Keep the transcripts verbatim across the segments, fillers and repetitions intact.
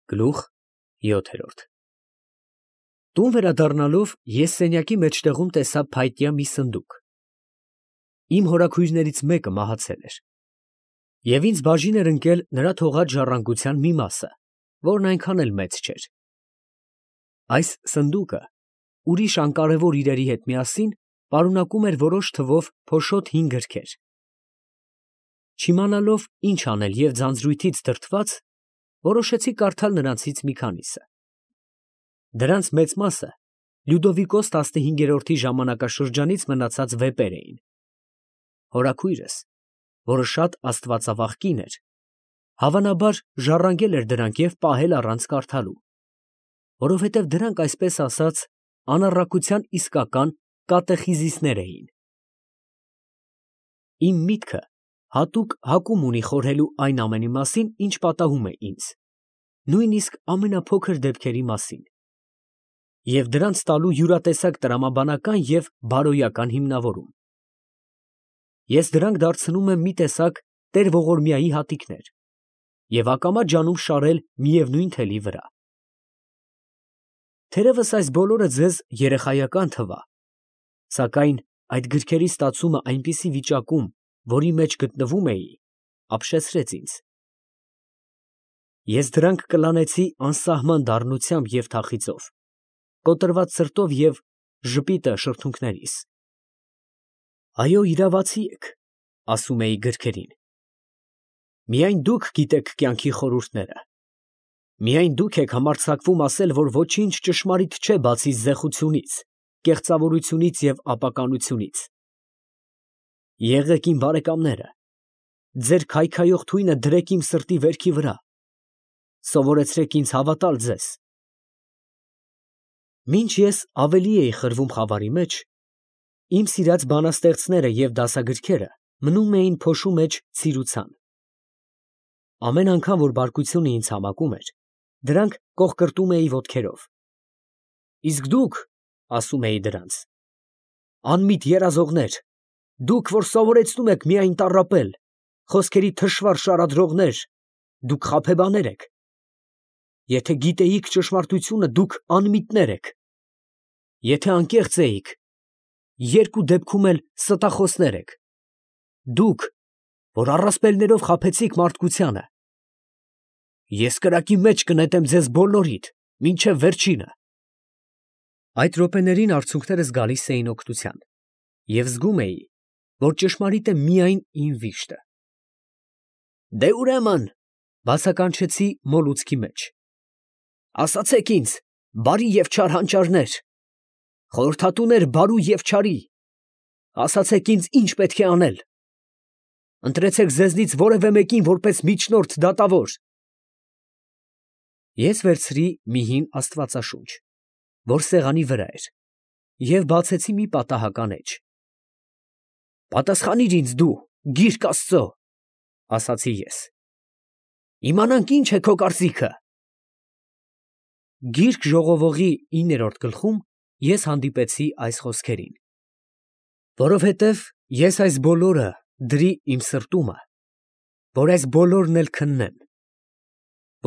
Գլուխ յոթ Տուն վերադառնալով ես սենյակի մեջտեղում տեսա փայտյա մի սնդուկ. իմ հորաքույրներից մեկը մահացել էր, և ինձ բաժին էր ընկել նրա թողած ժառանգության մի մասը, որն այնքան էլ մեծ չէր. այս սնդուկը ուրիշ անկարևոր իրերի հետ միասին պարունակում էր որոշ թվով փոշոտ հին գրքեր. Չիմանալով ինչ անել և ձանձրույթից դրդված, որոշեցի կարդալ նրանցից մի քանիսը. դրանց մեծ մասը Լյուդովիկոս տասնհինգերորդի ժամանակաշրջանից մնացած վեպեր էին. հորաքույրս, որը շատ աստվածավախ կին էր, հավանաբար ժառանգել էր դրանք և պահել առանց կարդալու, որովհետև դրանք, այսպես ասած, անառակության իսկական կատեխիզիսներ էին։ Իմ միտքը հատուկ հակում ունի խորհելու այն ամենի մասին, ինչ պատահում է ինձ, նույնիսկ ամենափոքր դեպքերի մասին, և դրանց տալու յուրատեսակ տրամաբանական և բարոյական հիմնավորում։ Ես դրանք դարձնում եմ մի տեսակ տեր֊ողորմյայի հատիկներ և ակամա ջանում շարել միևնույն թելի վրա։ Թերևս այս բոլորը ձեզ երեխայական թվա, սակայն այդ գրքերի ստացումը այնպիսի վիճակում, որի մեջ գտնվում էի, ապշեցրեց ինձ։ Ես դրանք կլանեցի անսահման դառնությամբ և թախիծով, կոտրված սրտով և ժպիտը շրթունքներիս։ «Այո, իրավացի եք», ասում էի գրքերին, «միայն դուք գիտեք կյանքի խորհուրդները, միայն դուք եք համարձակվում ասել, որ ոչինչ ճշմարիտ չէ բացի զեխությունից, կեղծավորությունից և ապականությունից։ Եղեք իմ բարեկամները, ձեր քայքայող թույնը դրեք իմ սրտի վերքի վրա, սովորեցրեք ինձ հավատալ ձեզ»։ Մինչ ես ավելի էի խրվում խավարի մեջ, իմ սիրած բանաստեղծները և դասագրքերը մնում էին փոշու մեջ ցիրուցան։ Ամեն անգամ, որ բարկությունը ինձ համակում էր, դրանք կոխկրտում էի ոտքերով։ Իսկ դուք, ասում էի դրանց, անմիտ երազողներ, դուք, որ սովորեցնում եք միայն տառապել, խոսքերի թշվառ շարադրողներ, դուք խաբեբաներ եք։ Եթե գիտեիք ճշմարտությունը, դուք անմիտներ եք։ Եթե անկեղծ էիք, երկու դեպքում էլ ստախոսներ եք։ Դուք, որ առասպելներով խաբեցիք մարդկությանը, ես կրակի մեջ կնետեմ ձեզ բոլորիդ, մինչև վերջինը։ Այդ րոպեներին արցունքներս գալիս էին օգնության, և զգում էի, որ ճշմարիտ է միայն իմ վիշտը։ «Դե ուրեմն, ֊ բացականչեցի մոլուցքի մեջ, ֊ ասացեք ինձ, բարի և չար հանճարներ, խորհրդատուներ բարու և չարի, ասացեք ինձ, ինչ պետք է անել. ընտրեցեք ձեզնից որևէ մեկին որպես միջնորդ դատավոր»։ Ես վերցրի մի հին աստվածաշունչ, որ սեղանի վրա էր, և բացեցի մի պատահական էջ։ «Պատասխանիր ինձ դու, գիրք Աստծո, ֊ ասացի ես, ֊ իմանանք ինչ է քո կարծիքը»։ Գիրք ժողովողի իններորդ գլխում ես հանդիպեցի այս խոսքերին. «Որովհետև ես այս բոլորը դրի իմ սրտումը, որ այս բոլորն էլ քննեմ,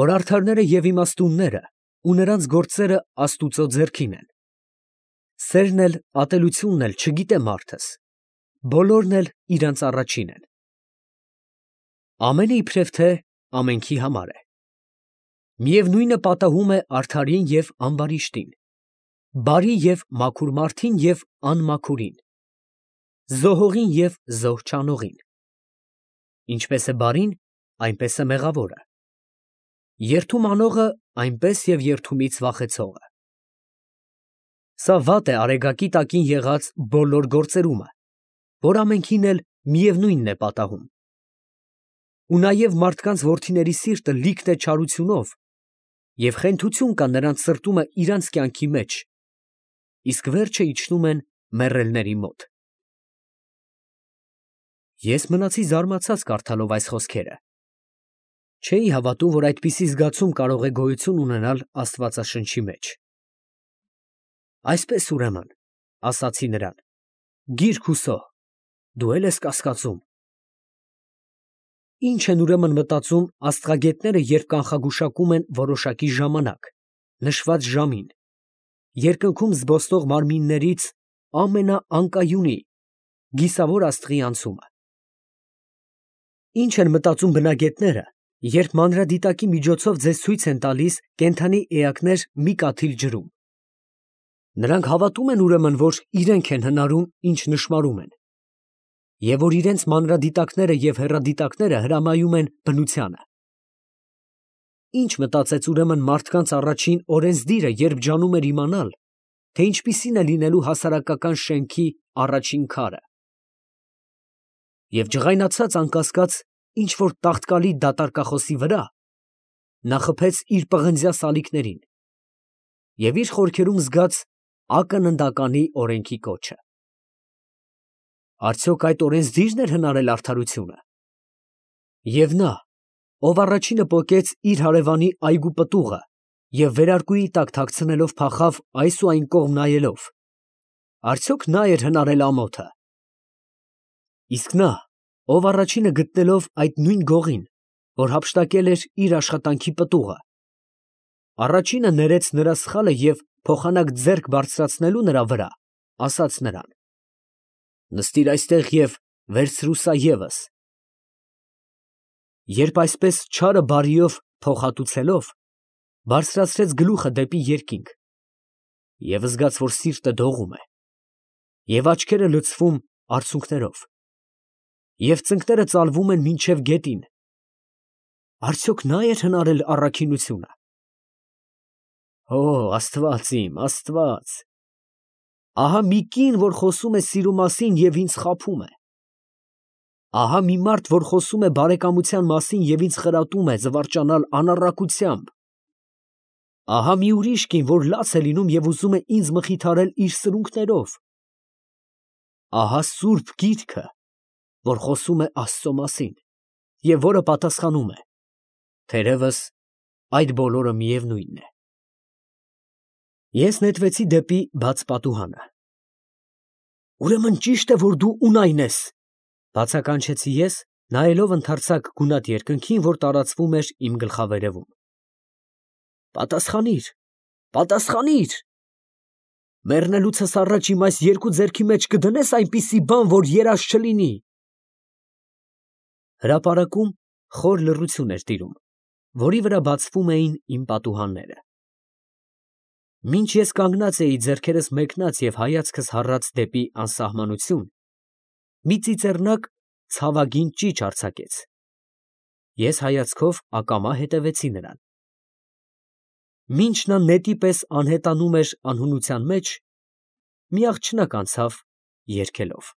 որ արդարները և իմաստունները ու նրանց գործերը Աստուծո ձեռքին են, սերն էլ ատելությունն էլ չգիտե մարդս, բոլորն էլ իրանց առաջին են։ Ամենը իբրև թե ամենքի համար է, միևնույնը պատահում է արդարին և ամբարիշտին, բարի և մաքուր մարդին և անմաքուրին, զոհողին և զոհ չանողին։ Ինչպես է բարին, այնպես է մեղավորը, երդում անողը, այնպես և երդումից վախեցողը։ Սա վատ է արեգակի տակին եղած բոլոր գործերումը, որ ամենքին էլ միևնույնն է պատահում։ Ու նաև մարդկանց որդիների սիրտը լիքն է չարությունով, և խենթություն կա նրանց սրտումն իրանց կյանքի մեջ, իսկ վերջը իջնում են մեռելների մոտ»։ Ես մնացի զարմացած կարդալով այս խոսքերը։ Չէի հավատում, որ այդպիսի զգացում կարող է գոյություն ունենալ աստվածաշնչի մեջ։ «Այսպես ուրեմն, ֊ ասացի նրան, ֊ գիր, Հուսո, դու էլ ես կասկածում»։ Ինչ են ուրեմն մտածում աստղագետները, երբ կանխագուշակում են որոշակի ժամանակ, նշված ժամին, երկնքում զբոսնող մարմիններից ամենաանկայունի, գիսավոր աստղի անցումը։ Ինչ են մտածում բնագետները, երբ մանրադիտակի միջոցով ձեզ ցույց են տալիս կենդանի էակներ մի կաթիլ ջրում։ Նրանք հավատում են ուրեմն, որ իրենք են հնարում, ինչ նշմարում են, և որ իրենց մանրադիտակները և հեռադիտակները հրամայում են բնությանը։ Ինչ մտածեց ուրեմն մարդկանց առաջին օրենսդիրը, երբ ջանում էր իմանալ, թե ինչպիսին է լինելու հասարակական շենքի առաջին քարը։ Եվ ջղայնացած անկասկած ինչ-որ տաղտկալի դատարկախոսի վրա, նա խփեց իր պղնձյա սալիկներին և իր խորքերում զգաց ակննդականի օրենքի կոչը։ Արդյոք այդ օրենսդի՞րն էր հնարել արդարությունը։ Եվ նա, ով առաջինը պոկեց իր հարևանի այգու պտուղը և վերարկուի տակ թաքցնելով փախավ այս ու այն կողմ նայելով, արդյոք նա էր հնարել ամոթը։ Իսկ նա, ով առաջինը գտնելով այդ նույն գողին, որ հափշտակել էր իր աշխատանքի պտուղը, առաջինը ներեց նրա սխալը և փոխանակ ձեռք բարձրացնելու նրա վրա, ասաց նրան. «Նստիր այստեղ և վերցրու սա ևս»։ Երբ այսպես չարը բարիով փոխհատուցելով, բարձրացրեց գլուխը դեպի երկինք, և զգաց, որ սիրտը դողում է, և աչքերը լցվում արցունքներով, և ծնկները ծալվում են մինչև գետին, արդյոք նա էր հնարել առաքինությունը։ Օ, Աստված իմ, Աստված, ահա մի կին, որ խոսում է սիրո մասին և ինձ խաբում է. ահա մի մարդ, որ խոսում է բարեկամության մասին և ինձ խրատում է զվարճանալ անառակությամբ. ահա մի ուրիշ կին, որ լաց է լինում և ուզում է ինձ մխիթարել իր սրունքներով. ահա սուրբ գիրքը, որ խոսում է Աստծո մասին և որը պատասխանում է. թերևս այդ բոլորը միևնույնն է։ Ես նետվեցի դեպի բաց պատուհանը։ Ուրեմն ճիշտ է, որ դու Ունայն ես, բացականչեցի ես, նայելով ընդարձակ գունատ երկնքին, որ տարածվում էր իմ գլխավերևում։ Պատասխանիր, պատասխանիր։ Մեռնելուցս առաջ իմ այս երկու ձեռքի մեջ կդնե՞ս այնպիսի բան, որ երազ չլինի։ Հրապարակում խոր լռություն էր տիրում, որի վրա բացվում էին իմ պատուհանները։ Մինչ ես կանգնած էի ձեռքերս մեկնած և հայացքս հառած դեպի անսահմանություն, մի ծիծեռնակ ցավագին ճիչ արձակեց։ Ես հայացքով ակամա հետևեցի նրան։ Մինչ նա նետի պես անհետանում էր անհունության մեջ, մի աղջնակ անցավ երգելով։